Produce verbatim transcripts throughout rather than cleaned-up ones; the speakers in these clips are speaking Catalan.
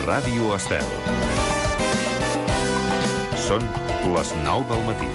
Ràdio Estel. Són les nou del matí.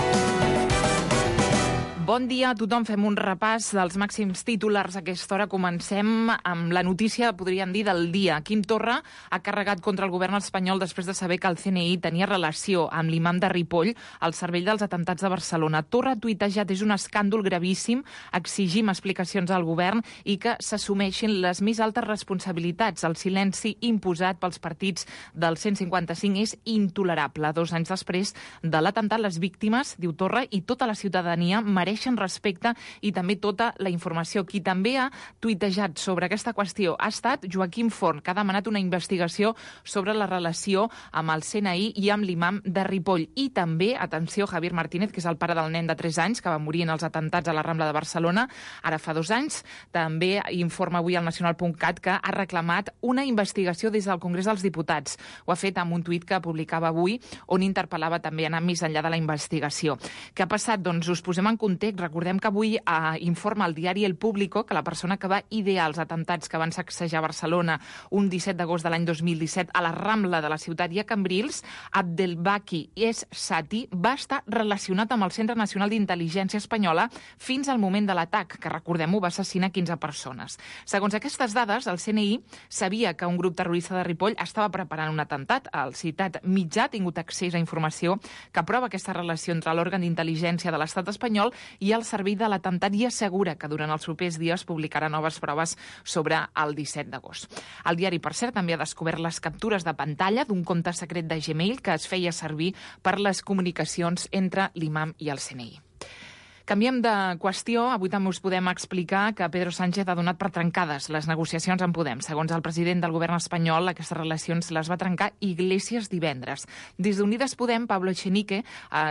Bon dia a tothom. Fem un repàs dels màxims titulars a aquesta hora. Comencem amb la notícia, podríem dir, del dia. Quim Torra ha carregat contra el govern espanyol després de saber que el C N I tenia relació amb l'imam de Ripoll al cervell dels atemptats de Barcelona. Torra ha tuitejat: és un escàndol gravíssim, exigim explicacions al govern i que s'assumeixin les més altes responsabilitats. El silenci imposat pels partits del cent cinquanta-cinc és intolerable. Dos anys després de l'atemptat, les víctimes, diu Torra, i tota la ciutadania mereixen respecte i també tota la informació. Qui també ha tuitejat sobre aquesta qüestió ha estat Joaquim Forn, que ha demanat una investigació sobre la relació amb el C N I i amb l'imam de Ripoll. I també, atenció, Javier Martínez, que és el pare del nen de tres anys que va morir en els atemptats a la Rambla de Barcelona, ara fa dos anys, també informa avui al nacional punt cat que ha reclamat una investigació des del Congrés dels Diputats. Ho ha fet amb un tuit que publicava avui, on interpel·lava també anar més enllà de la investigació. Què ha passat? Doncs us posem en context. Recordem que avui eh, informa el diari El Público que la persona que va idear els atemptats que van sacsejar Barcelona un disset d'agost de l'any dos mil disset a la Rambla de la ciutat i a Cambrils, Abdelbaki Es Sati, va estar relacionat amb el Centre Nacional d'Intel·ligència Espanyola fins al moment de l'atac, que, recordem-ho, va assassinar quinze persones. Segons aquestes dades, el C N I sabia que un grup terrorista de Ripoll estava preparant un atemptat. El citat mitjà ha tingut accés a informació que prova aquesta relació entre l'òrgan d'intel·ligència de l'estat espanyol i el servei de l'atemptat, i assegura que durant els propers dies publicarà noves proves sobre el disset d'agost. El diari, per cert, també ha descobert les captures de pantalla d'un compte secret de Gmail que es feia servir per les comunicacions entre l'imam i el C N I. Canviem de qüestió. Avui també us podem explicar que Pedro Sánchez ha donat per trencades les negociacions amb Podem. Segons el president del govern espanyol, aquestes relacions les va trencar Iglesias divendres. Des d'Unides Podem, Pablo Echenique eh,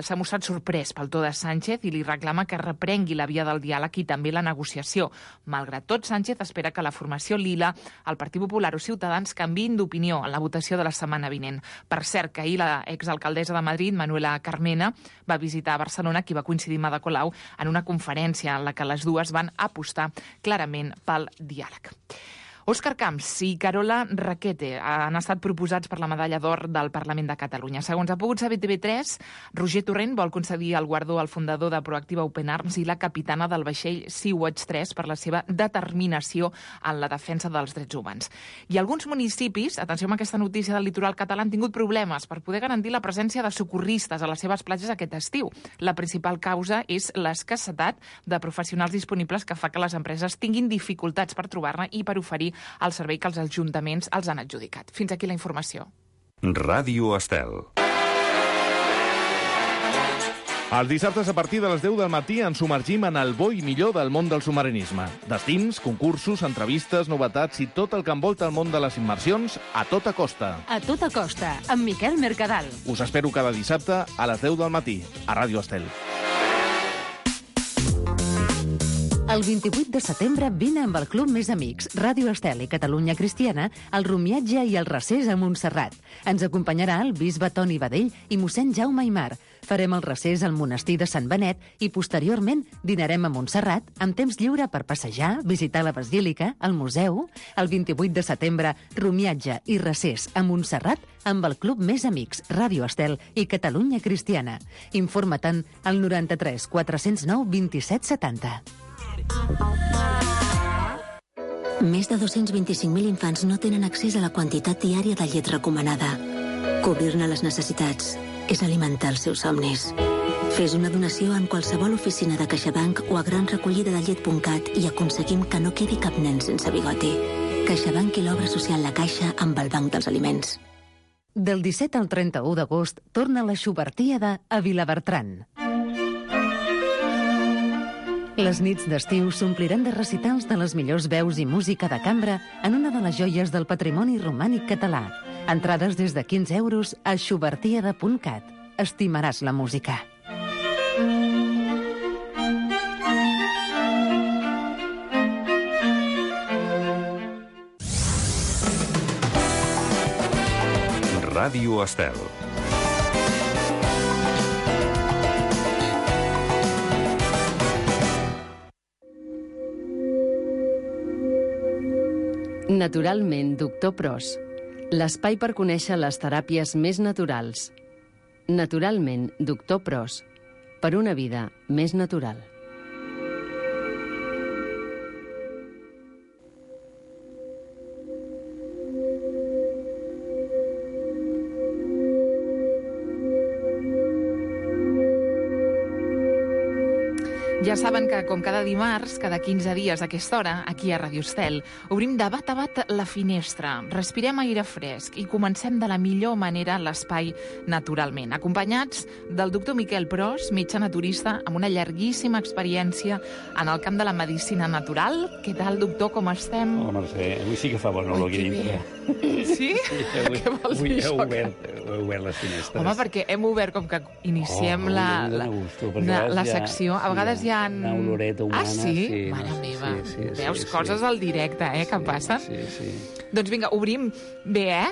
s'ha mostrat sorprès pel to de Sánchez i li reclama que reprengui la via del diàleg i també la negociació. Malgrat tot, Sánchez espera que la formació Lila, el Partit Popular o Ciutadans canviïn d'opinió en la votació de la setmana vinent. Per cert, que ahir la exalcaldessa de Madrid, Manuela Carmena, va visitar Barcelona, qui va coincidir amb Ada Colau en una conferència en la que les dues van apostar clarament pel diàleg. Òscar Camps i Carola Rackete han estat proposats per la medalla d'or del Parlament de Catalunya. Segons ha pogut saber T V tres, Roger Torrent vol concedir el guardó al fundador de Proactiva Open Arms i la capitana del vaixell Sea-Watch tres per la seva determinació en la defensa dels drets humans. I alguns municipis, atenció amb aquesta notícia del litoral català, han tingut problemes per poder garantir la presència de socorristes a les seves platges aquest estiu. La principal causa és l'escassetat de professionals disponibles, que fa que les empreses tinguin dificultats per trobar-ne i per oferir el servei que els ajuntaments els han adjudicat. Fins aquí la informació. Ràdio Estel. Els dissabtes a partir de les deu del matí ens submergim en el bo i millor del món del submarinisme. Destins, concursos, entrevistes, novetats i tot el que envolta el món de les immersions a tota costa. A tota costa, amb Miquel Mercadal. Us espero cada dissabte a les deu del matí, a Ràdio Estel. El vint-i-vuit de setembre vine amb el Club Més Amics, Ràdio Estel i Catalunya Cristiana, al Romiatge i el Recés a Montserrat. Ens acompanyarà el bisbe Toni Badell i mossèn Jaume Aimar. Farem el recés al monestir de Sant Benet i posteriorment dinarem a Montserrat amb temps lliure per passejar, visitar la basílica, el museu. El vint-i-vuit de setembre, Romiatge i Recés a Montserrat amb el Club Més Amics, Ràdio Estel i Catalunya Cristiana. Informa-te'n al noranta-tres quatre zero nou vint-i-set setanta. Més de dos-cents vint-i-cinc mil infants no tenen accés a la quantitat diària de llet recomanada. Cobrir-ne les necessitats és alimentar els seus somnis. Fes una donació en qualsevol oficina de CaixaBank o a gran recollida de llet punt cat i aconseguim que no quedi cap nen sense bigoti. CaixaBank i l'obra social La Caixa amb el Banc dels Aliments. Del disset al trenta-u d'agost torna la Xubertíada a Vilabertran. Les nits d'estiu s'ompliran de recitals de les millors veus i música de cambra en una de les joies del patrimoni romànic català. Entrades des de quinze euros a xubertíada punt cat. Estimaràs la música. Ràdio Estel. Naturalment, doctor Pros. L'espai per conèixer les teràpies més naturals. Naturalment, doctor Pros. Per una vida més natural. Ja saben que, com cada dimarts, cada quinze dies a aquesta hora, aquí a Ràdio Estel, obrim de bat a bat la finestra, respirem aire fresc i comencem de la millor manera l'espai naturalment, acompanyats del doctor Miquel Pros, metge naturista, amb una llarguíssima experiència en el camp de la medicina natural. Què tal, doctor, com estem? Hola, Mercè, avui sí que fa bon olor aquí dintre. Sí? Sí, avui, Què vols avui dir he això? obert, he obert les finestres. Home, perquè hem obert com que iniciem Oh, la, avui em la, dóna gusto, perquè la, a vegades la hi ha- secció. A vegades hi ha... una oloreta humana, Ah, sí? sí, Mare no, meva. sí, sí, sí, Veus sí. coses al directe, eh, que passen? Sí, sí. Doncs vinga, obrim bé, eh?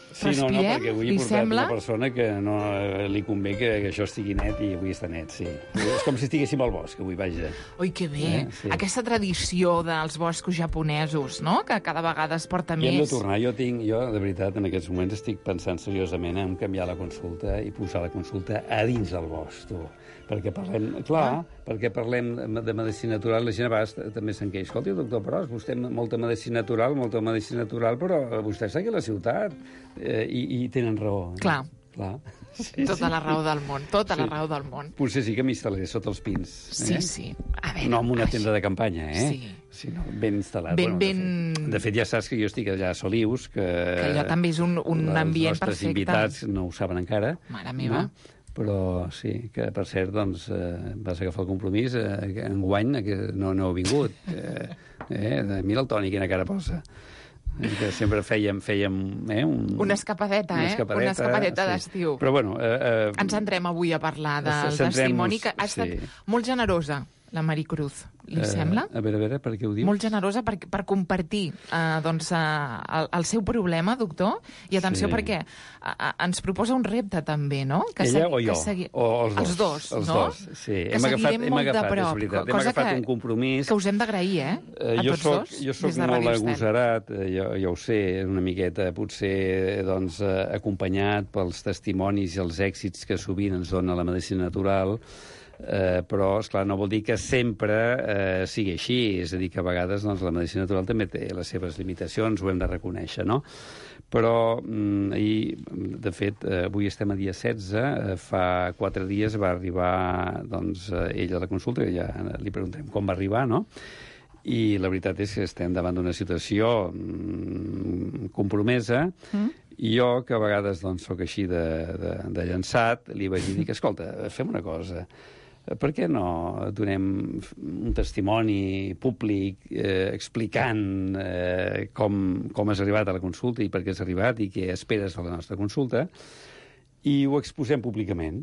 Sí, no, no, Respirem, perquè avui he li portat sembla? una persona que no eh, li convé que, que això estigui net i avui està net, sí. És com si estiguéssim al bosc, avui, vaja. Oi, que bé. Eh, sí. Aquesta tradició dels boscos japonesos, no?, que cada vegada es porta I hem de més. tornar. Jo tinc, jo, de veritat, en aquests moments estic pensant seriosament en canviar la consulta i posar la consulta a dins del bosc, tu. Perquè parlem, clar, ah. perquè parlem de medicina natural, la gent a vegades també se'n queixa. Escolti, doctor Pros, vostè molta medicina natural, molta medicina natural, però vostè està aquí a la ciutat eh, i, i tenen raó. Clar. Clar. Sí, Tota sí. la raó del món, tota Sí. la raó del món. Potser sí que m'instal·laré sota els pins. Sí, eh? sí. A veure, No amb una ai, tenda de campanya, eh? Sí. Sí, no, ben instal·lat. Ben, de ben- fet- De fet, ja saps que jo estic allà a Solius, que... Que allò també és un, un ambient Els nostres perfecte. invitats no ho saben encara. Mare meva. No? Però sí, que per cert, doncs, eh, vas agafar el compromís, eh, que enguany eh, que no, no heu vingut. Eh, eh, mira el Toni, quina cara posa. Eh, que sempre fèiem, fèiem eh, un, Una escapadeta, una eh? escapadeta, Una escapadeta sí. d'estiu. Però bueno... Eh, eh, Ens entrem avui a parlar del Centrem-nos, testimoni que ha estat sí. molt generosa, la Maricruz. Li eh, sembla? A veure, a veure, per què ho dius? Molt generosa per, per compartir eh, doncs, eh, el, el seu problema, doctor. I atenció, Sí. perquè eh, ens proposa un repte, també, no? Que Ella segui- o jo? Que segui... O els dos? Els dos, els no? dos, sí. Que Hem agafat, seguirem hem molt agafat, de prop, és veritat. Hem cosa agafat que, un compromís. que us hem d'agrair, eh? Eh, A jo tots soc, dos, jo soc des de molt Ràdio Estel. agosarat, eh, jo, jo ho sé, una miqueta, potser doncs, eh, acompanyat pels testimonis i els èxits que sovint ens dona la medicina natural, eh, però, esclar, no vol dir que sempre eh, sigui així, és a dir, que a vegades doncs, la medicina natural també té les seves limitacions, ho hem de reconèixer, no? Però, mm, ahir, de fet, eh, avui estem a dia setze, eh, fa quatre dies va arribar doncs, eh, ella a la consulta, que ja li preguntem com va arribar, no? I la veritat és que estem davant d'una situació mm, compromesa, mm. i jo, que a vegades doncs, sóc així de, de, de llançat, li vaig dir que, escolta, fem una cosa, per què no donem un testimoni públic eh, explicant eh, com, com has arribat a la consulta i per què has arribat i què esperes de la nostra consulta, i ho exposem públicament,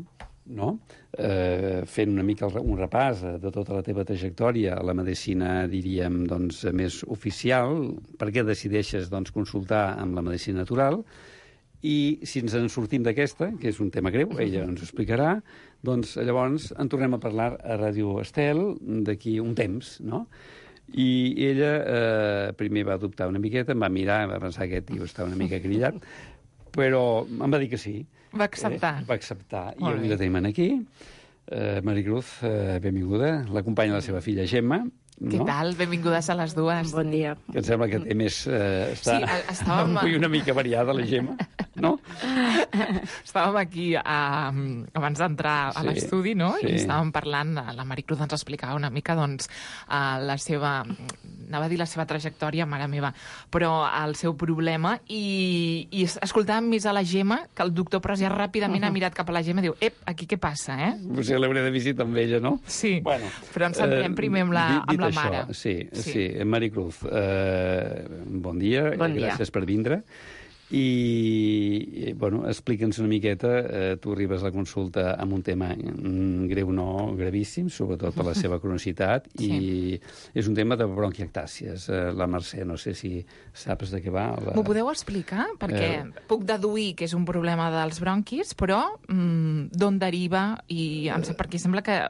no? Eh, fent una mica un repàs de tota la teva trajectòria a la medicina, diríem, doncs, més oficial, per què decideixes doncs, consultar amb la medicina natural, i si ens en sortim d'aquesta, que és un tema greu, ella ens ho explicarà, doncs llavors en tornem a parlar a Ràdio Estel d'aquí un temps, no? I ella eh, primer va dubtar una miqueta, em va mirar, va pensar que aquest tio està una mica grillat, però em va dir que sí. Va acceptar. Eh, va acceptar. I Molt avui bé. la tenim aquí. Eh, Maricruz, eh, benvinguda. L'acompanya la seva filla Gemma. Què no? tal? Benvingudes a les dues. Bon dia. Que em sembla que té més... Eh, està Sí, a- estàvem- avui una mica variada, la Gemma, no? Estàvem aquí a, abans d'entrar a Sí, l'estudi, no? sí. I estàvem parlant, la Maricruz ens explicava una mica, doncs, eh, la seva... Anava a dir la seva trajectòria, mare meva, però el seu problema, i, i es- escoltàvem més a la Gemma, que el doctor Pros ja ràpidament ha mirat cap a la Gemma i diu, ep, aquí què passa, eh? Potser l'hauré de visitar amb ella, no? Sí, Bueno, però ens centrem eh, primer amb la, dit- dit amb la això, mare. Sí, Sí. sí. sí. Maricruz, eh, bon dia, Bon dia. gràcies per vindre. I, i bueno, explica'ns una miqueta, eh, tu arribes a la consulta amb un tema mm, greu no, gravíssim, sobretot per la seva cronicitat, Sí. i és un tema de bronquiectàcies. Eh, la Mercè, no sé si saps de què va. La... M'ho podeu explicar? Perquè Eh. puc deduir que és un problema dels bronquis, però mm, d'on deriva? I em sap, perquè sembla que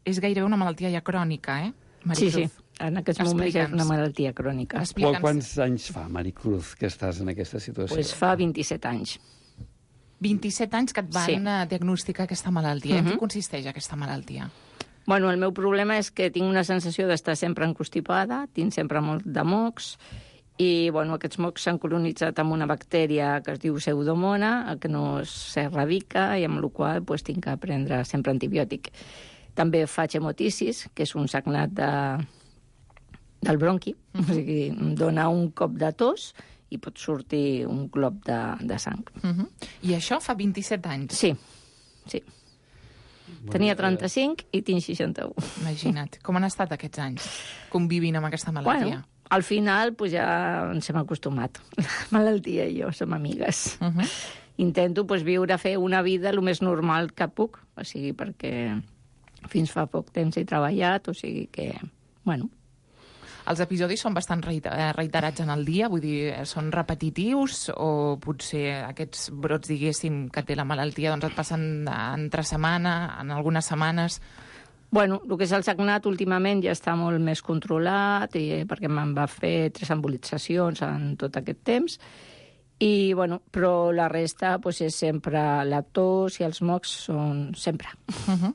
és gairebé una malaltia ja crònica, eh? Sí, Maricruz? sí. en aquests moments és una malaltia crònica. Quants anys fa, Maricruz, que estàs en aquesta situació? Pues fa vint-i-set anys. vint-i-set anys que et van Sí. diagnosticar aquesta malaltia. En Mhm. què consisteix aquesta malaltia? Bueno, el meu problema és que tinc una sensació d'estar sempre encostipada, tinc sempre molt de mocs, i bueno, aquests mocs s'han colonitzat amb una bactèria que es diu pseudomona, que no s'erradica, i amb la qual pues, tinc que prendre sempre antibiòtic. També faig hemotisis, que és un sagnat de, del bronqui, uh-huh. o sigui, em dona un cop de tos i pot sortir un glop de, de sang. Uh-huh. I això fa vint-i-set anys? Sí, sí. Bueno, Tenia trenta-cinc i tinc seixanta-u. Imagina't. Com han estat aquests anys convivint amb aquesta malaltia? Bueno, al final pues, ja ens hem acostumat. La malaltia i jo som amigues. Uh-huh. Intento pues, viure, fer una vida el més normal que puc, o sigui, perquè fins fa poc temps he treballat, o sigui que, bueno... Els episodis són bastant reiterats en el dia, vull dir, són repetitius o potser aquests brots, diguéssim, que té la malaltia, doncs et passen entre setmana, en algunes setmanes... Bueno, el que és el sagnat últimament ja està molt més controlat, i, perquè me'n va fer tres embolitzacions en tot aquest temps, i, bueno, però la resta pues, és sempre la tos i els mocs són sempre. Uh-huh.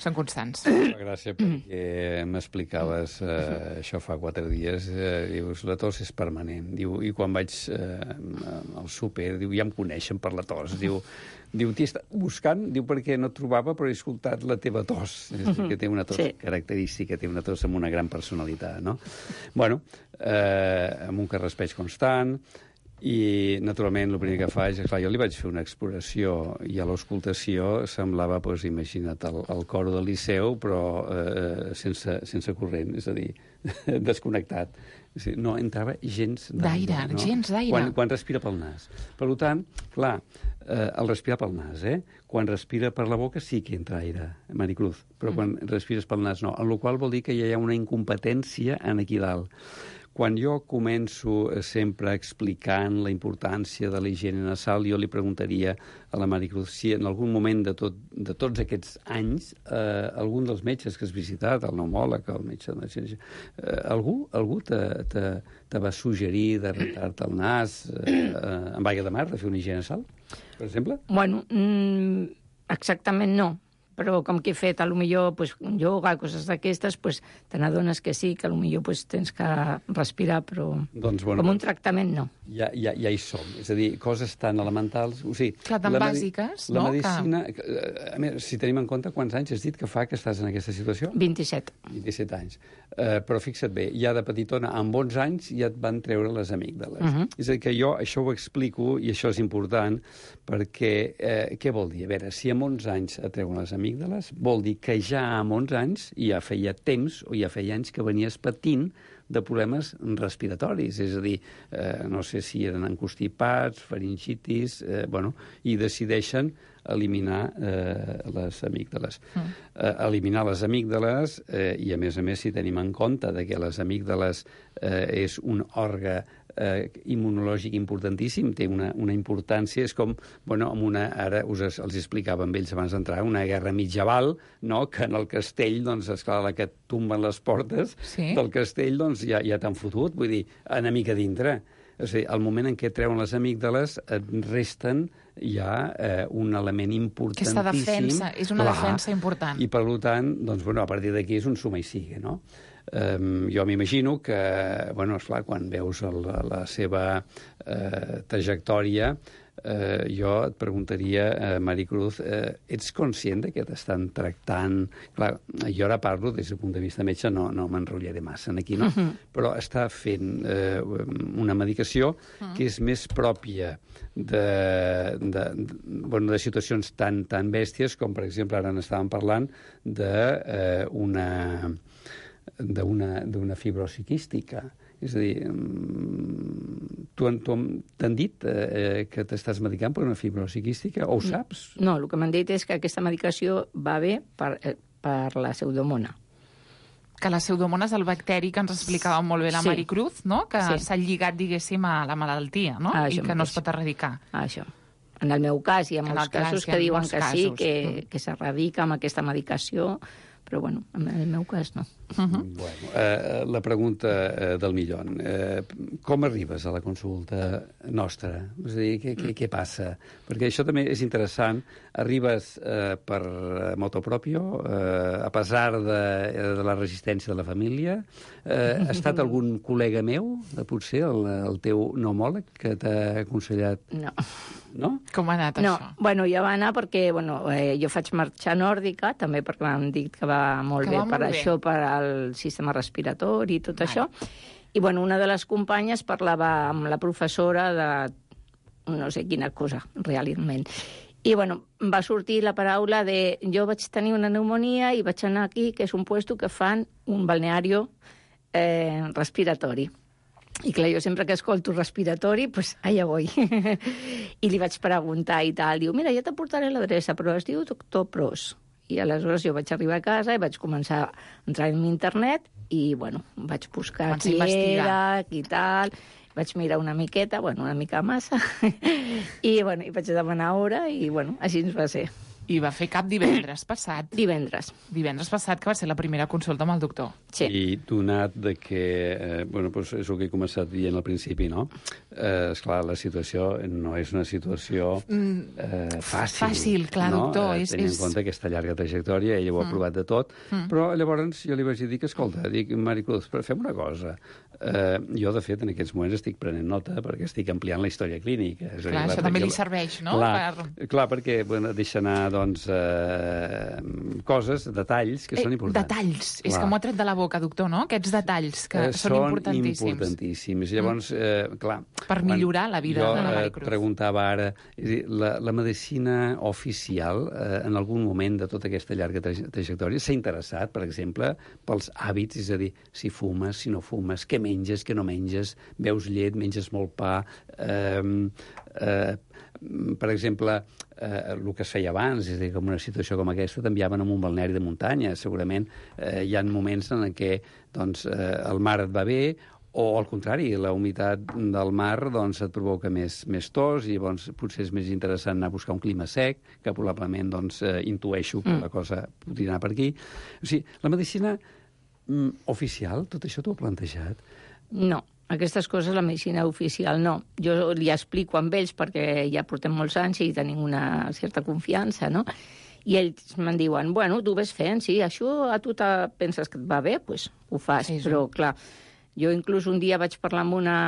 Són constants. Fa gràcia perquè m'explicaves eh, això fa quatre dies, eh, dius, la tos és permanent. Diu, i quan vaig eh, al súper, diu, ja em coneixen per la tos. Diu, diu t'hi està buscant, diu, perquè no et trobava, però he escoltat la teva tos. És a dir, que té una tos Sí. característica, té una tos amb una gran personalitat, no? Bueno, eh, amb un carraspeig constant, i, naturalment, el primer que faig és, clar, jo li vaig fer una exploració i a l'auscultació semblava, doncs, imagina't, el, el coro del Liceu, però eh, sense, sense corrent, és a dir, desconnectat. És a dir, no entrava gens d'aire. D'aire, no? gens d'aire. Quan, quan respira pel nas. Per tant, clar, eh, el respirar pel nas, eh? Quan respira per la boca sí que entra aire, Maricruz, però quan respires pel nas no. En la qual vol dir que ja hi ha una incompetència en aquí dalt. Quan jo començo sempre explicant la importància de la higiene nasal, jo li preguntaria a la Maricruz si en algun moment de, tot, de tots aquests anys eh, algun dels metges que has visitat, el pneumòleg, el metge de eh, algú, algú te, te, te va suggerir de rentar-te el nas eh, eh, amb aigua de mar, de fer una higiene nasal, per exemple? Bueno, mm, exactament no. Però com que he fet, a lo millor, pues, ioga, coses d'aquestes, pues, te n'adones que sí, que a lo millor pues, tens que respirar, però doncs, bueno, com un tractament no. Ja, ja, ja hi som. És a dir, coses tan elementals... O sigui, Clar, tan la bàsiques, la no? medicina... Que... A més, si tenim en compte quants anys has dit que fa que estàs en aquesta situació? vint-i-set. vint-i-set anys. Uh, però fixa't bé, ja de petitona, amb onze anys, ja et van treure les amígdales. Uh -huh. És a dir, que jo això ho explico, i això és important, perquè eh, què vol dir? A veure, si amb onze anys et treuen les amígdales, vol dir que ja amb onze anys, ja feia temps, o ja feia anys que venies patint de problemes respiratoris, és a dir, eh, no sé si eren encostipats, faringitis, eh, bueno, i decideixen eliminar eh, les amígdales. Mm. Eh, eliminar les amígdales, eh, i a més a més si tenim en compte de que les amígdales eh, és un òrgan eh, immunològic importantíssim, té una, una importància, és com, bueno, amb una, ara us es, els explicava amb ells abans d'entrar, una guerra mitjaval, no?, que en el castell, doncs, esclar, la que et tomben les portes sí. del castell, doncs, ja, ja t'han fotut, vull dir, enemic a dintre. És a dir, al moment en què treuen les amígdales, et resten ja eh, un element importantíssim. Aquesta defensa, és una Clar. defensa important. I, per tant, doncs, bueno, a partir d'aquí és un suma i sigue, no? Um, jo m'imagino que, bueno, esclar, quan veus el, la seva eh, trajectòria, eh, jo et preguntaria, eh, Maricruz, eh, ets conscient de que t'estan tractant... Clar, jo ara parlo des del punt de vista metge, no, no m'enrotllaré massa aquí, no? Uh -huh. Però està fent eh, una medicació uh -huh. que és més pròpia de, de, de, bueno, de situacions tan, tan bèsties com, per exemple, ara n'estàvem parlant d'una... Eh, d'una fibrosi quística. És a dir, tu, tu t'han dit eh, que t'estàs medicant per una fibrosi quística, o ho saps? No, el que m'han dit és que aquesta medicació va bé per, per la pseudomona. Que la pseudomona és el bacteri que ens explicava molt bé la Sí. Maricruz, no? Que Sí. s'ha lligat, diguéssim, a la malaltia, no? Ah, I això que no mateix. es pot erradicar. Ah, això. En el meu cas, hi ha En molts el cas, casos hi ha que diuen molts que sí, casos. que, que s'erradica amb aquesta medicació, Però, bueno, en el meu cas no. Uh-huh. Bueno, eh, la pregunta eh, del millón. Eh, com arribes a la consulta nostra? És a dir, què, què, què passa? Perquè això també és interessant. Arribes eh, per moto propio, eh, a pesar de, de la resistència de la família. Eh, ha estat algun col·lega meu, potser, el, el teu pneumòleg, que t'ha aconsellat? No. No? Com ha anat no. això? Bueno, ja va anar perquè bueno, eh, jo faig marxa nòrdica, també perquè m'han dit que va molt que bé va per molt bé. això, per al sistema respiratori i tot vale. això. I bueno, una de les companyes parlava amb la professora de no sé quina cosa, realment. I bueno, va sortir la paraula de jo vaig tenir una pneumonia i vaig anar aquí, que és un puesto que fan un balneario eh, respiratori. I clar, jo sempre que escolto respiratori, pues allà voy. I li vaig preguntar i tal. Diu, mira, ja t'aportaré l'adreça, però es diu doctor Pros. I aleshores jo vaig arribar a casa i vaig començar a entrar en internet i, bueno, vaig buscar Vaig qui investigar. era, qui tal. Vaig mirar una miqueta, bueno, una mica massa. I, bueno, i vaig demanar hora i, bueno, així ens va ser. I va fer cap divendres passat. Divendres. Divendres passat, que va ser la primera consulta amb el doctor. Sí. I donat de que, eh, bueno, doncs és el que he començat dient al principi, no? Eh, esclar, la situació no és una situació eh, fàcil. Fàcil, clar, no? doctor. Eh, És, tenint és... en compte aquesta llarga trajectòria, ella ho ha provat de tot, mm. però llavors jo li vaig dir que, escolta, dic, Maricruz, fem una cosa. Eh, jo, de fet, en aquests moments estic prenent nota perquè estic ampliant la història clínica. És Clar, dir, això també li serveix, no? Clar, Per... clar perquè bueno, deixa anar doncs, eh, coses, detalls que Eh, són importants. Detalls. Clar. És que m'ho ha tret de la boca, doctor, no? Aquests detalls que Eh, són importantíssims. Són importantíssims. Llavors, eh, clar... Per millorar la vida jo, de la eh, Maricruz. preguntava ara, és a dir, la, la medicina oficial, eh, en algun moment de tota aquesta llarga tra trajectòria, s'ha interessat, per exemple, pels hàbits, és a dir, si fumes, si no fumes, què menges, què no menges, beus llet, menges molt pa... Eh, eh, per exemple, eh, el que es feia abans, és a dir, com una situació com aquesta, t'enviaven a un balneari de muntanya. Segurament eh, hi ha moments en què doncs, eh, el mar et va bé, o al contrari, la humitat del mar doncs, et provoca més, més tos i doncs, potser és més interessant anar a buscar un clima sec, que probablement doncs, eh, intueixo que mm. la cosa podria anar per aquí. O sigui, la medicina mm, oficial, tot això t'ho ha plantejat? No. Aquestes coses, la medicina oficial, no. Jo li explico amb ells perquè ja portem molts anys i tenim una certa confiança, no? I ells me'n diuen, bueno, tu ves fent, sí, això a tu te penses que et va bé, doncs pues, ho fas. Sí, sí. Però, clar, jo inclús un dia vaig parlar amb una,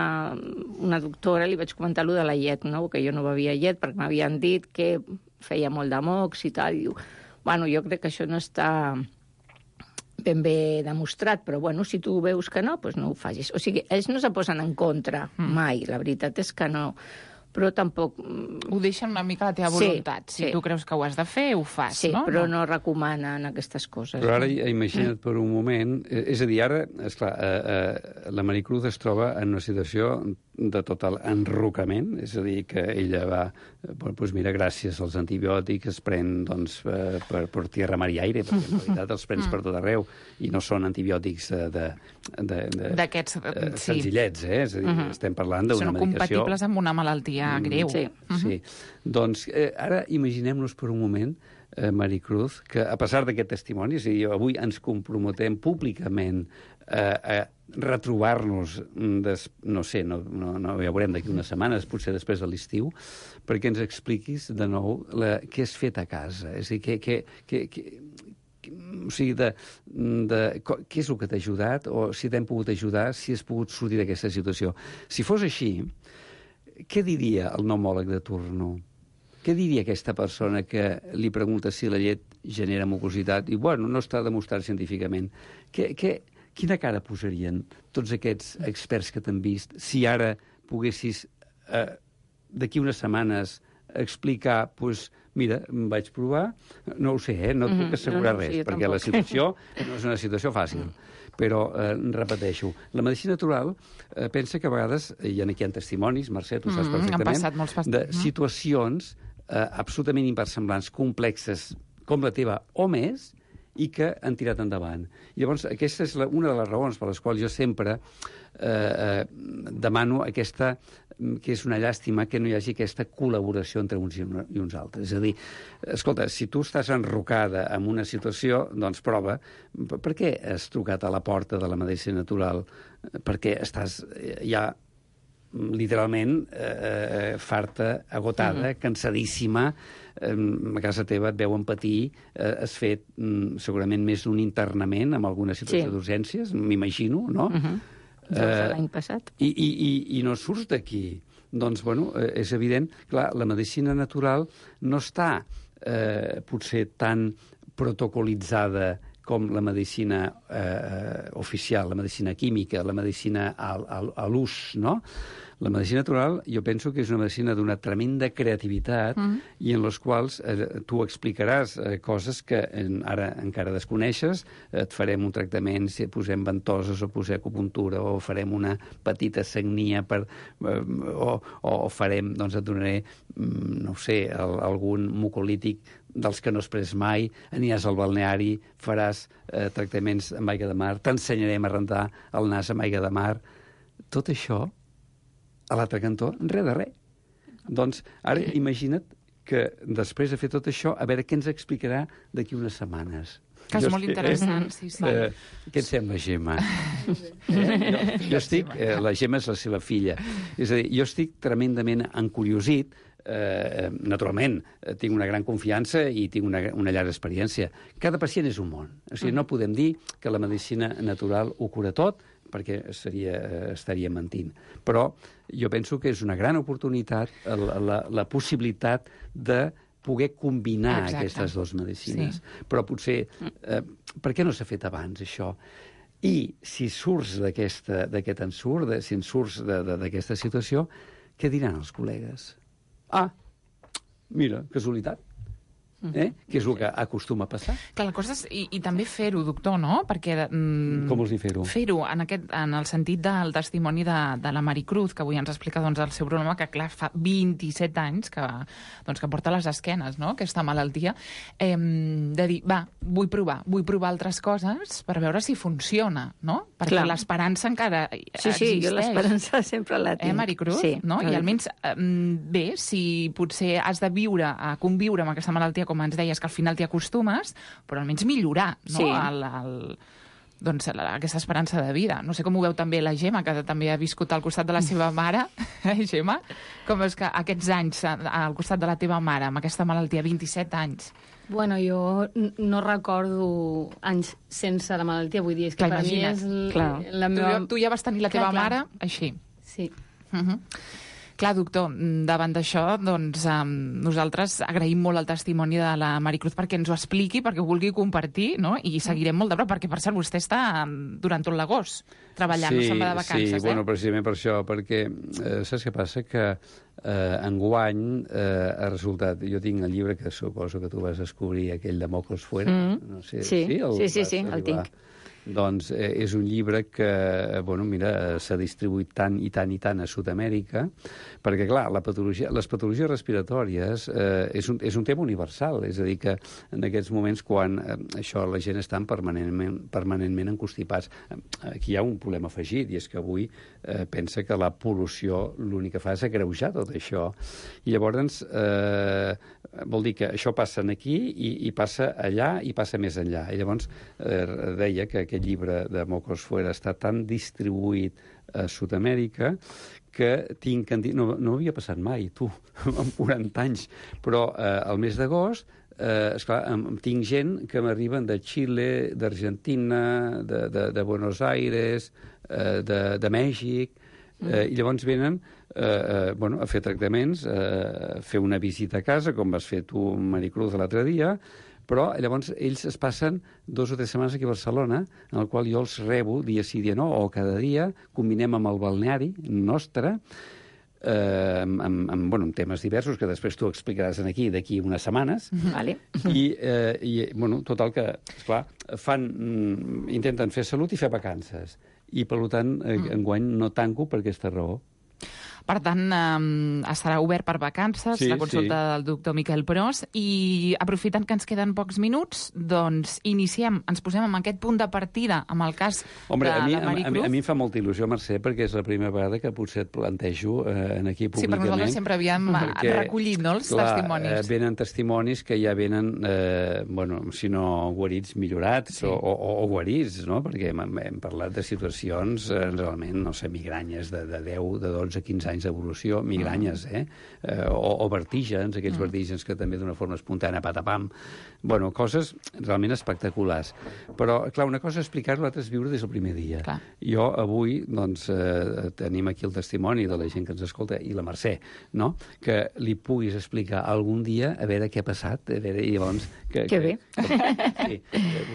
una doctora i li vaig comentar allò de la llet, no? Que jo no bevia llet perquè m'havien dit que feia molt de mocs i tal. I diu, bueno, jo crec que això no està ben bé demostrat, però bueno, si tu veus que no, doncs no ho facis. O sigui, ells no se posen en contra mai, la veritat és que no. Però tampoc... Ho deixen una mica a la teva voluntat. Sí, si sí. tu creus que ho has de fer, ho fas, sí, no? Sí, però no. no recomanen aquestes coses. Però ara no? imagina't per un moment... Eh, és a dir, ara, esclar, eh, eh, la Maricruz es troba en una situació de total enrocament, és a dir, que ella va... Eh, doncs mira, gràcies als antibiòtics es pren doncs, eh, per, per tierra, mar i aire, perquè en realitat els prens per tot arreu, i no són antibiòtics eh, de... d'aquests, eh, sí. senzillets, eh? És a dir, uh -huh. estem parlant d'una Són medicació... compatibles amb una malaltia greu. Sí. Uh -huh. Sí. Doncs eh, ara imaginem-nos per un moment, eh, Maricruz, que a pesar d'aquest testimoni, és a dir, avui ens comprometem públicament eh, a retrobar-nos, des, no sé, no, no, no ja veurem d'aquí unes setmanes, potser després de l'estiu, perquè ens expliquis de nou la, què has fet a casa. És a dir, què, què, què, què, o sigui, de, de, què és el que t'ha ajudat, o si t'hem pogut ajudar, si has pogut sortir d'aquesta situació. Si fos així, què diria el pneumòleg de turno? Què diria aquesta persona que li pregunta si la llet genera mucositat? I, bueno, no està demostrat científicament. Què, què, quina cara posarien tots aquests experts que t'han vist si ara poguessis, eh, d'aquí unes setmanes, explicar, doncs, mira, em vaig provar, no ho sé, eh? No et puc assegurar no, no, res, sí, perquè tampoc. la situació no és una situació fàcil. Però, eh, repeteixo, la medicina natural eh, pensa que a vegades, i aquí hi ha testimonis, Mercè, tu saps Mm, perfectament, han passat molts de past- situacions eh, absolutament inversemblants, complexes, com la teva, o més, i que han tirat endavant. I llavors, aquesta és la, una de les raons per les quals jo sempre eh, eh, demano aquesta que és una llàstima que no hi hagi aquesta col·laboració entre uns i uns altres. És a dir, escolta, si tu estàs enrocada en una situació, doncs prova. Per què has trucat a la porta de la medicina natural? Perquè estàs ja literalment eh, farta, agotada, mm-hmm. cansadíssima, eh, a casa teva et veuen patir, eh, has fet mm, segurament més d'un internament amb alguna situació sí. d'urgències, m'imagino, no? Mm-hmm. Eh, l'any passat. I, i, i, I no surts d'aquí. Doncs, bueno, eh, és evident, clar, la medicina natural no està eh, potser tan protocolitzada com la medicina eh, oficial, la medicina química, la medicina a, a, a l'ús, no? La medicina natural, jo penso que és una medicina d'una tremenda creativitat mm. i en les quals eh, tu explicaràs eh, coses que en, ara encara desconeixes, eh, et farem un tractament, si posem ventoses o posem acupuntura o farem una petita sagnia per, eh, o, o farem, doncs et donaré, no ho sé, el, algun mucolític dels que no has pres mai, aniràs al balneari, faràs eh, tractaments amb aigua de mar, t'ensenyarem a rentar el nas amb aigua de mar. Tot això, a l'altre cantó, res de res. Doncs ara imagina't que després de fer tot això, a veure què ens explicarà d'aquí unes setmanes. Que és jo molt estic, interessant, eh? sí, sí. Eh, què et sembla, Gemma? eh? jo, jo estic... Eh, la Gemma és la seva filla. És a dir, jo estic tremendament encuriosit. Eh, naturalment, tinc una gran confiança i tinc una, una llarga experiència. Cada pacient és un món. O sigui, no podem dir que la medicina natural ho cura tot, perquè seria, estaria mentint. Però jo penso que és una gran oportunitat la, la, la possibilitat de poder combinar Exacte. Aquestes dues medicines. Sí. Però potser, eh, per què no s'ha fet abans, això? I si surts d'aquest ensurt, si en surts d'aquesta situació, què diran els col·legues? Ah, mira, casualitat. Eh? Que és el que acostuma a passar. Clar, la cosa és, i, i també fer-ho, doctor, no? Perquè... Mm, Com vols dir fer-ho? Fer-ho, en, aquest, en el sentit del testimoni de, de la Maricruz, que avui ens explica doncs, el seu problema, que clar, fa vint-i-set anys que, doncs, que porta les esquenes, no?, aquesta malaltia, eh, de dir, va, vull provar, vull provar altres coses per veure si funciona, no? Perquè l'esperança encara sí, existeix. Sí, jo l'esperança sempre la tinc. Eh, Maricruz? Sí. No? I almenys, eh, bé, si potser has de viure, a conviure amb aquesta malaltia, com ens deies, que al final t'hi acostumes, però almenys millorar, no? Sí. El, el, doncs, la, aquesta esperança de vida. No sé com ho veu també la Gemma, que també ha viscut al costat de la seva mare. Eh, Gemma? Com és que aquests anys al costat de la teva mare, amb aquesta malaltia, vint-i-set anys... Bueno, jo no recordo anys sense la malaltia, vull dir, és que clar, per imagina't. Mi és clar. La meva... Tu, tu ja vas tenir la teva clar, mare clar. Així. Sí. Uh-huh. Clar, doctor, davant d'això, doncs, um, nosaltres agraïm molt el testimoni de la Maricruz perquè ens ho expliqui, perquè ho vulgui compartir, no? I seguirem molt de prop, perquè, per cert, vostè està durant tot l'agost treballant, sí, no se'n va de vacances, sí, eh? Sí, bueno, precisament per això, perquè eh, saps què passa? Que eh, enguany eh, ha resultat... Jo tinc el llibre que suposo que tu vas descobrir, aquell de Mocos Fuera. Mm. No sé, sí, sí, el sí, sí, sí el tinc. Doncs eh, és un llibre que, bueno, mira, s'ha distribuït tant i tant i tant a Sud-amèrica, perquè, clar, la patologia, les patologies respiratòries eh, és, un, és un tema universal, és a dir, que en aquests moments, quan eh, això la gent està permanentment, permanentment encostipats, aquí hi ha un problema afegit, i és que avui eh, pensa que la pol·lució l'únic que fa és agreujar tot això. I llavors, eh, vol dir que això passa aquí i, i passa allà i passa més enllà. I llavors eh, deia que aquest llibre de Mocos Fuera està tan distribuït a Sud-amèrica que tinc... No, no havia passat mai, tu, amb quaranta anys, però eh, al mes d'agost, eh, esclar, tinc gent que m'arriben de Xile, d'Argentina, de, de, de Buenos Aires, eh, de, de Mèxic, eh, i llavors venen eh, eh, bueno, a fer tractaments, eh, a fer una visita a casa, com vas fer tu, Maricruz, l'altre dia, però llavors ells es passen dos o tres setmanes aquí a Barcelona, en el qual jo els rebo dia sí, dia no, o cada dia, combinem amb el balneari nostre, eh, amb, amb, amb, bueno, amb temes diversos que després tu explicaràs aquí d'aquí unes setmanes. Vale. I, eh, i bueno, total que, esclar, fan, intenten fer salut i fer vacances. I, per tant, eh, enguany no tanco per aquesta raó. Per tant, eh, estarà obert per vacances, sí, la consulta sí. del doctor Miquel Pros, i aprofitant que ens queden pocs minuts, doncs iniciem, ens posem amb aquest punt de partida, amb el cas Hombre, de, a mi, de Maricruz. A mi, a mi em fa molta il·lusió, Mercè, perquè és la primera vegada que potser et plantejo eh, en aquí públicament. Sí, perquè nosaltres sempre havíem perquè, recollit, no, els clar, testimonis. Eh, venen testimonis que ja venen, eh, bueno, si no guarits, millorats, sí. o, o, o guarits, no? Perquè hem, hem parlat de situacions eh, realment, no sé, migranyes de, de deu, de dotze, quinze anys d'evolució, migranyes, eh? eh o, o vertígens, aquells mm. vertígens que també d'una forma espontània, patapam. Bueno, coses realment espectaculars. Però, clar, una cosa és explicar-ho, l'altra és viure des del primer dia. Clar. Jo avui, doncs, eh, tenim aquí el testimoni de la gent que ens escolta, i la Mercè, no?, que li puguis explicar algun dia a veure què ha passat, a veure, i llavors... Que, que bé. Que, sí,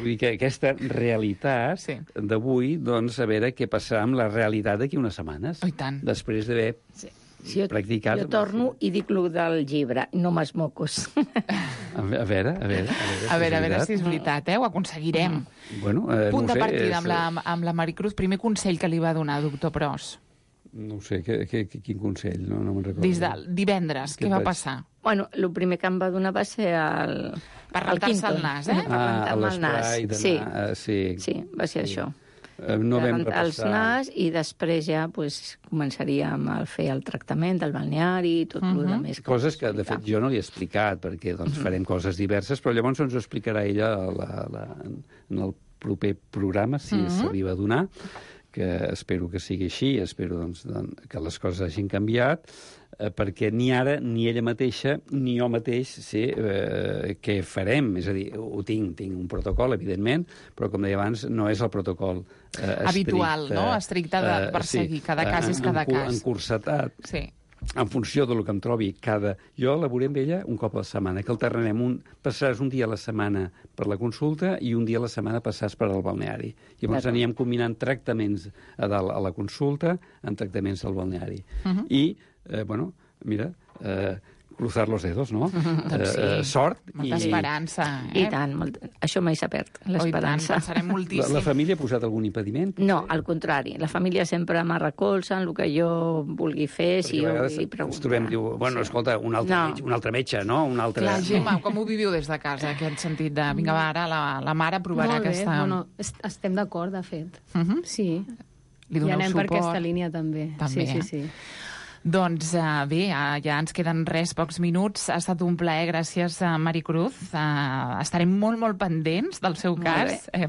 vull dir que aquesta realitat sí. d'avui, doncs, a veure què passarà amb la realitat d'aquí unes setmanes. Oh, i tant. Després d'haver... Sí. Si jo, practicat... jo torno i dic el del llibre, no m'es mocos. A veure, a veure... A veure, a veure, a veure si és veritat, eh? Ho aconseguirem. Bueno, eh, Punt no de sé, partida és... amb, la, amb la Maricruz. Primer consell que li va donar, doctor Pros. No ho sé, que, que, quin consell, no, no me'n recordo. Des de divendres, què, què va vaig... passar? Bueno, el primer que em va donar va ser el... Per rentar-se el nas, eh? Per rentar-me el nas. Sí. Uh, sí. sí, va ser sí. això. Uh, no vam rentar els nas i després ja pues, començaríem a fer el tractament del balneari i tot uh -huh. el més. Que coses que, de fet, jo no li he explicat, perquè doncs, farem uh -huh. coses diverses, però llavors ens ho explicarà ella a la, la, en el proper programa, si uh -huh. s'arriba a donar, que espero que sigui així, espero doncs, doncs, que les coses hagin canviat, eh, perquè ni ara, ni ella mateixa, ni jo mateix sé eh, què farem. És a dir, ho tinc, tinc un protocol, evidentment, però, com deia abans, no és el protocol eh, habitual, estricte, no? Estricte de perseguir. Sí, cada cas és cada en, cas. Encursetat. Sí. En funció del que em trobi cada... Jo elaboré amb ella un cop a la setmana, que alternarem un... Passaràs un dia a la setmana per la consulta i un dia a la setmana passaràs per al balneari. Llavors anirem combinant tractaments a dalt a la consulta amb tractaments al balneari. Uh -huh. I, eh, bueno, mira... Eh, cruzar los dedos, no? Mm, doncs sí. eh, sort. Molta i... esperança, eh? I tant, molt... això mai s'ha perd, l'esperança. Oh, pensarem moltíssim. La, la família ha posat algun impediment? No, al contrari. La família sempre m'arrecolza en el que jo vulgui fer, si jo vull preguntar. Ens trobem, diu, bueno, sí. escolta, un altre, no. metge, un altre metge, no? Un altre... Clar, Gemma, com ho viviu des de casa, aquest sentit de, vinga, va, ara la, la mare provarà Molt bé, aquesta... bueno, estem d'acord, de fet. Uh -huh. Sí. Li I anem suport. per aquesta línia, també. També, sí, sí, eh? sí. Doncs uh, bé, uh, ja ens queden res, pocs minuts. Ha estat un plaer, gràcies a Maricruz. Uh, estarem molt, molt pendents del seu cas, eh,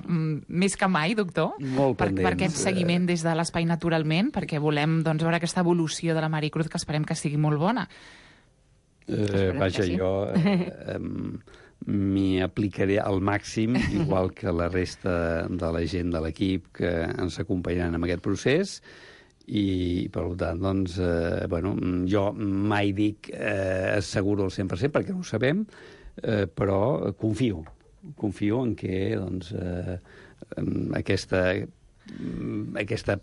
més que mai, doctor, molt per, pendents. per aquest seguiment des de l'espai naturalment, perquè volem doncs, veure aquesta evolució de la Maricruz, que esperem que sigui molt bona. Eh, vaja, sí. jo eh, eh, m'hi aplicaré al màxim, igual que la resta de la gent de l'equip que ens acompanyaran en aquest procés. I, per tant, doncs, eh, bueno, jo mai dic eh, asseguro al cent per cent, perquè no ho sabem, eh, però confio. Confio en què, doncs, eh, aquesta, aquesta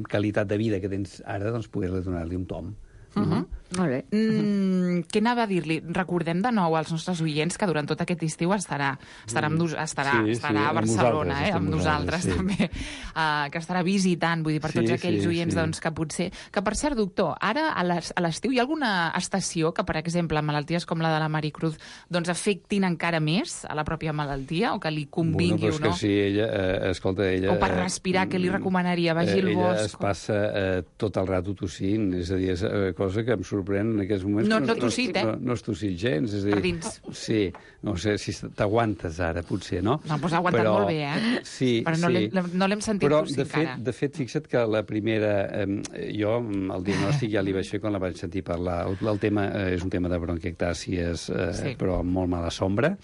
qualitat de vida que tens ara, doncs, poder donar-li un tom. Uh -huh. Molt bé. Mm, què anava a dir-li? Recordem de nou als nostres oients que durant tot aquest estiu estarà, estarà, amb, estarà, sí, estarà sí, a Barcelona, amb eh, amb nosaltres sí. també, uh, que estarà visitant, vull dir, per tots sí, aquells sí, oients sí. doncs, que potser... Que, per cert, doctor, ara a l'estiu hi ha alguna estació que, per exemple, malalties com la de la Maricruz doncs afectin encara més a la pròpia malaltia o que li convingui bueno, o no? Que sí, ella, eh, escolta, ella... O per respirar, què li recomanaria? Vagi eh, al bosc? Ella es passa eh, tot el rato tossint, és a dir, és eh, cosa que em sorprèn en aquests moments. No, no tossit, eh? No, no has tossit gens. És a dir, per dins. Sí, no sé si t'aguantes ara, potser, no? No, doncs ha aguantat però, molt bé, eh? Sí, però no sí. l'hem no sentit però, tossir de fet, encara. de fet, fixa't que la primera... Eh, jo, el diagnòstic ja li vaig fer quan la vaig sentir parlar. El, el tema eh, és un tema de bronquiectàcies, eh, sí. però amb molt mala sombra.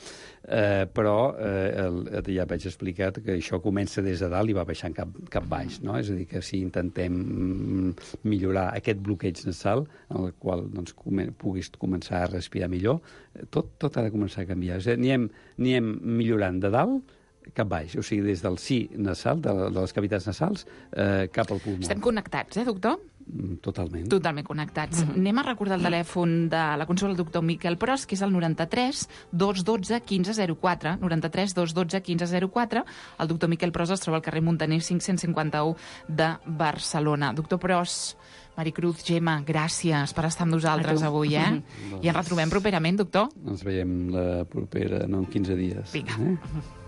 Eh, però eh, el, ja vaig explicar que això comença des de dalt i va baixant cap, cap baix, no? És a dir, que si intentem millorar aquest bloqueig nasal, en el qual doncs, com, puguis començar a respirar millor, tot, tot ha de començar a canviar. És a dir, anem, anem millorant de dalt cap baix, o sigui, des del sí nasal, de, de les cavitats nasals, eh, cap al pulmó. Estem connectats, eh, doctor? Totalment. Totalment connectats. Mm -hmm. Anem a recordar el telèfon de la consulta del doctor Miquel Pros, que és el noranta-tres dos cents i dotze quinze zero quatre. noranta-tres dos cents i dotze quinze zero quatre. El doctor Miquel Pros es troba al carrer Muntaner cinc-cents cinquanta-u de Barcelona. Doctor Pros, Maricruz, Gemma, gràcies per estar amb nosaltres avui, eh? I ens retrobem properament, doctor? Ens veiem la propera, no en quinze dies. Vinga. Eh?